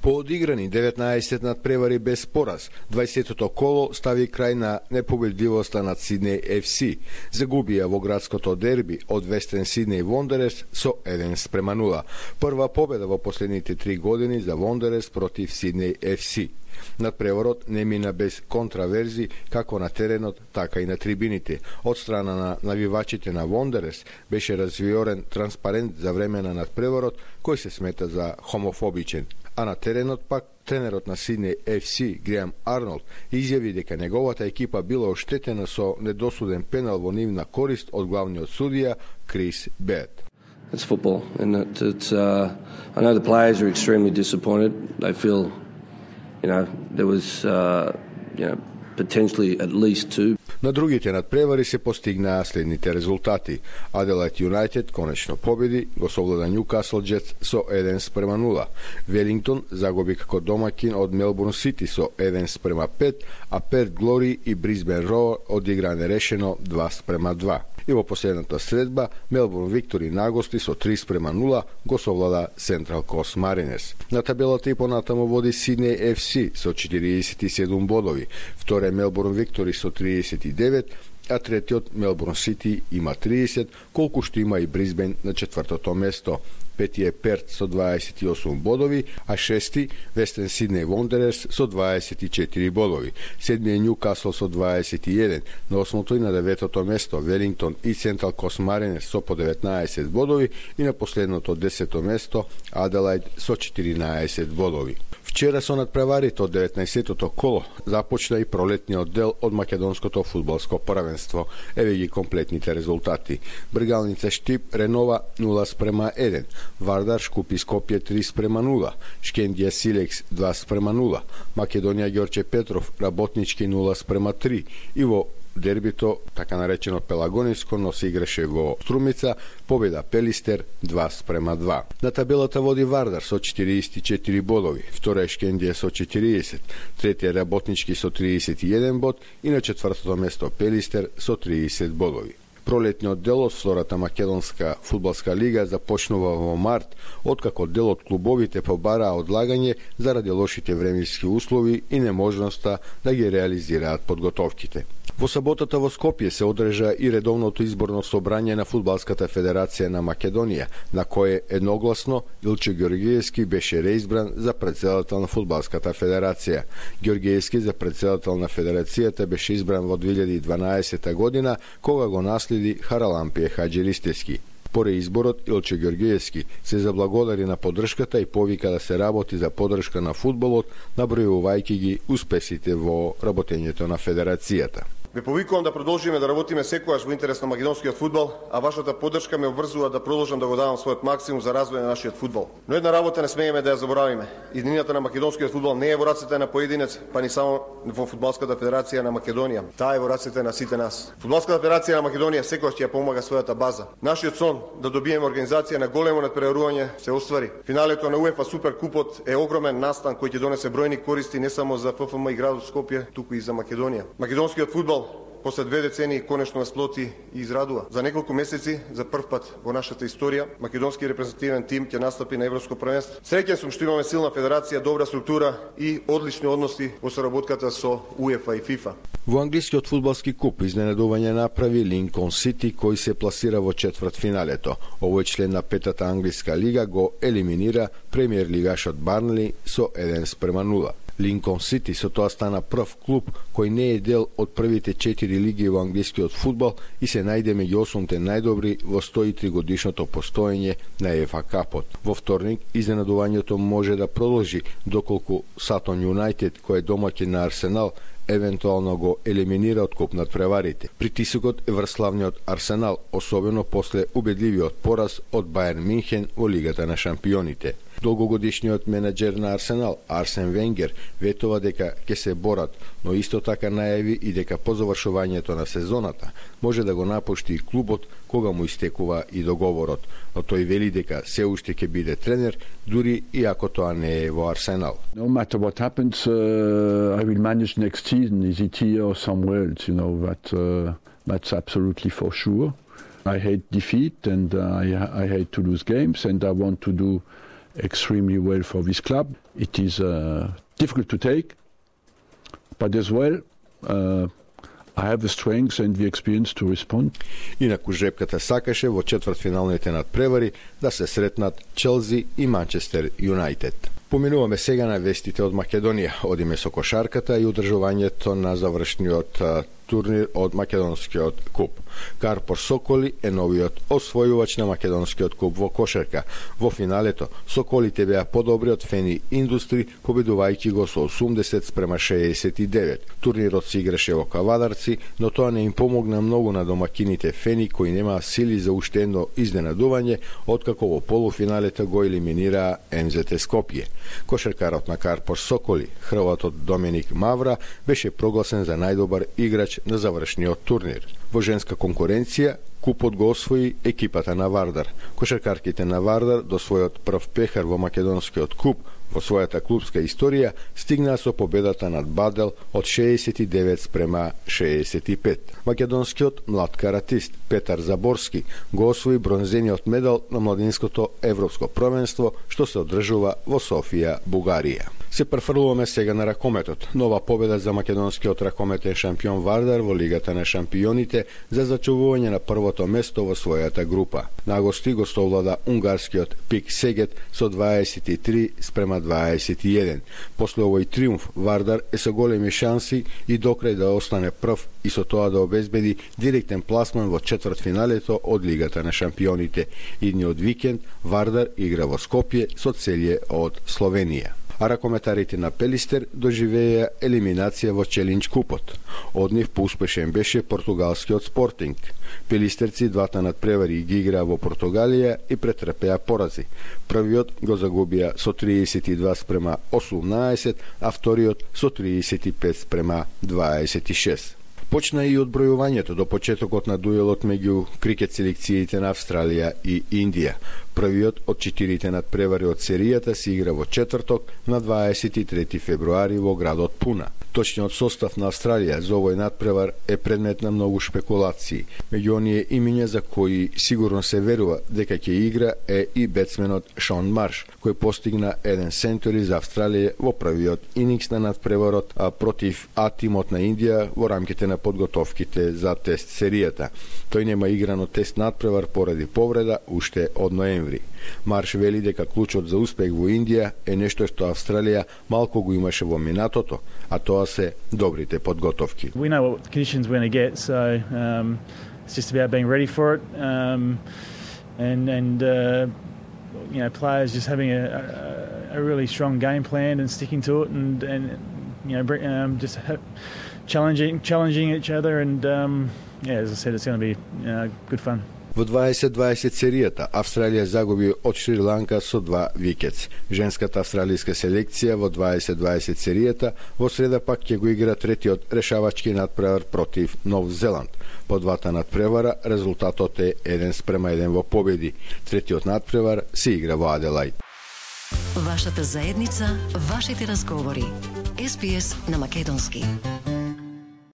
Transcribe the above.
По одиграни 19 надпревари без пораз, 20-тото коло стави крај на непобедливоста над Сиднеј FC. Загубија во градското дерби од Вестен Сиднеј Вондерерс со 1-0. Прва победа во последните 3 години за Вондерерс против Сиднеј FC. Надпреварот не мина без контраверзи како на теренот, така и на трибините. Од страна на навивачите на Вондерерс беше развиорен транспарент за време на надпреварот кој се смета за хомофобичен. А на теренот пак тренерот на Сиднеј FC Греам Арнолд изјави дека неговата екипа била оштетена со недосуден пенал во нивна корист од главниот судија Крис Бед. It's football, and I know the players are extremely disappointed. They feel, there was, potentially at least two. На другите надпревари се постигнаа следните резултати. Аделајд Юнајтед конечно победи, го совлада Нјукасл Джетс со 1-0. Велингтон загуби како домаќин од Мелбурн Сити со 1-5, а Перт Глори и Брисбен Роу одигра нерешено 2-2. И во последната средба Мелбурн Виктори нагости со 3-0 го совлада Централ Кост Маринерс. На табелата и понатамо води Сиднеј FC со 47 бодови, вторе Мелбурн Виктори со 39, а третиот Мелбурн Сити има 30, колку што има и Брисбен на четвртото место. Пети е Перт со 28 бодови, а шести Вестен Сиднеј Вондерерс со 24 бодови. Седми е Нјукасл со 21, на осмото и на деветото место Велингтон и Централ Кост Маринерс со по 19 бодови и на последното 10-то место Аделајд со 14 бодови. Вчера со надпреварите од 19-тото коло започна и пролетниот дел од македонското фудбалско првенство. Еве ги комплетните резултати. Бргалница Штип Ренова 0-1, Вардар Шкупи Скопје 3-0, Шкендија Силекс 2-0, Македонија Ѓорче Петров Работнички 0-3 и во дербито, така наречено Пелагониско, но се играше во Струмица, победа Пелистер 2-2. На табелата води Вардар со 44 бодови, втора е Шкендија со 40, третија Работнички со 31 бод и на четвртото место Пелистер со 30 бодови. Пролетниот дел од втората македонска фудбалска лига започнува во март, откако дел од клубовите побараа одлагање заради лошите временски услови и неможноста да ги реализираат подготовките. Во саботата во Скопје се одржа и редовното изборно собрање на Фудбалската федерација на Македонија, на кое едногласно Илче Ѓоргиевски беше реизбран за претседател на Фудбалската федерација. Ѓоргиевски за претседател на федерацијата беше избран во 2012 година, кога го наследи Харалампие Хаџиристевски. По реизборот Илче Ѓоргиевски се заблагодари на поддршката и повика да се работи за поддршка на фудбалот, набројувајќи ги успесите во работењето на федерацијата. Ве повикувам да продолжиме да работиме секогаш во интерес на македонскиот фудбал, а вашата поддршка ме обврзува да продолжам да го давам својот максимум за развој на нашиот фудбал. Но една работа не смееме да ја заборавиме. Иднината на македонскиот фудбал не е во рацете на поединец, па ни само во Фудбалската федерација на Македонија. Таа е во рацете на сите нас. Фудбалската федерација на Македонија секогаш ќе ја помага својата база. Нашиот сон да добиеме организација на големо надпреварување се оствари. Финалето на УЕФА Суперкупот е огромен настан кој ќе донесе бројни користи не само за ФФМ и градот Скопје, туку и за Македонија. Македонскиот фудбал после 2 децении конечно насплоти и израдува. За неколку месеци, за прв пат во нашата историја, македонски репрезентативен тим ќе настапи на Европско првенство. Среќен сум што имаме силна федерација, добра структура и одлични односи во соработката со УЕФА и ФИФА. Во англискиот фудбалски куп изненадување направи Линкон Сити, кој се пласира во четвртфиналето. Овој член на петата англиска лига го елиминира премиер лигашот Барнли со 1-0. Линкон Сити со тоа стана прв клуб кој не е дел од првите 4 лиги во англискиот фудбал и се најде меѓу 8 најдобри во 103 годишното постоење на ЕФА Капот. Во вторник изненадувањето може да продолжи доколку Сатон Юнајтед, кој е домаќин на Арсенал, евентуално го елиминира од куп надпреварите. Притисокот е врз славниот Арсенал, особено после убедливиот пораз од Бајерн Минхен во Лигата на шампионите. Долгогодишниот менеджер на Арсенал, Арсен Венгер, ветува дека ќе се борат, но исто така најави и дека по завршувањето на сезоната може да го напушти клубот кога му истекува и договорот, но тој вели дека се уште ќе биде тренер, дури и ако тоа не е во Арсенал. No matter what happens, I will manage next season. Is it here or somewhere else? That's absolutely for sure. I hate defeat and I hate to lose games and I want to do extremely well for this club. It is difficult to take, but as well, I have the strength and the experience to respond. Инаку жрепката сакаше во четвртфиналните надпревари да се сретнат Челси и Манчестер Юнайтед. Поминуваме сега на вестите од Македонија. Одиме со кошарката и одржувањето на завршниот турнир од Македонскиот куп. Карпор Соколи е новиот освојувач на Македонскиот куп во кошарка. Во финалето, Соколите беа подобри од Фени Индустри, победувајќи го со 80-69. Турнирот се играше во Кавадарци, но тоа не им помогна многу на домакините Фени, кои немаа сили за уште едно изненадување, откако во полуфиналето го елиминираа МЗТ Скопје. Кошаркарот на Карпор Соколи, хрватот Доминик Мавра, беше прогласен за најдобар играч на завршниот турнир. Во женска конкуренција, купот го освои екипата на Вардар. Кошаркарките на Вардар до својот прв пехар во Македонскиот куп во својата клубска историја стигнаа со победата над Бадел од 69-65. Македонскиот млад каратист Петар Заборски го освои бронзениот медал на младинското европско првенство што се одржува во Софија, Бугарија. Се префрлуваме сега на ракометот. Нова победа за македонскиот ракометен шампион Вардар во Лигата на шампионите за зачувување на првото место во својата група. На гости го совлада унгарскиот Пик Сегет со 23-21. После овој триумф Вардар е со големи шанси и докрај да остане прв и со тоа да обезбеди директен пласман во четвртфиналето од Лигата на шампионите. Идниот викенд Вардар игра во Скопје со Целје од Словенија. А ракометарите на Пелистер доживеја елиминација во Челендж купот. Од нив поуспешен беше португалскиот Спортинг. Пелистерци двата надпревари ги играа во Португалија и претрпеа порази. Првиот го загубија со 32-18, а вториот со 35-26. Почна и одбројувањето до почетокот на дуелот меѓу крикет селекциите на Австралија и Индија. Првиот од 4 надпревари од серијата се игра во четврток на 23 февруари во градот Пуна. Точниот состав на Австралија за овој надпревар е предмет на многу шпекулации. Меѓу оние имиња за кои сигурно се верува дека ќе игра е и бетсменот Шон Марш, кој постигна еден сентури за Австралија во првиот инингс на надпреварот против А-тимот на Индија во рамките на подготовките за тест серијата. Тој нема играно тест надпревар поради повреда уште од ноември. Марш вели дека клучот за успех во Индија е нешто што Австралија малку го имаше во минатото, а тоа се добрите подготовки. We know what conditions we're going to get, so it's just about being ready for it, and you know, players just having a really strong game plan and sticking to it, and you know, just challenging each other, and yeah, as I said, it's going to be good fun. Во 2020 серијата Австралија загуби од Шри-Ланка со 2 викетс. Женската австралијска селекција во 2020 серијата во среда пак ќе го игра третиот решавачки надпревар против Нов Зеланд. По двата надпревара резултатот е 1-1 во победи. Третиот надпревар се игра во Аделајд. Вашата заедница, вашите разговори. SPS на македонски.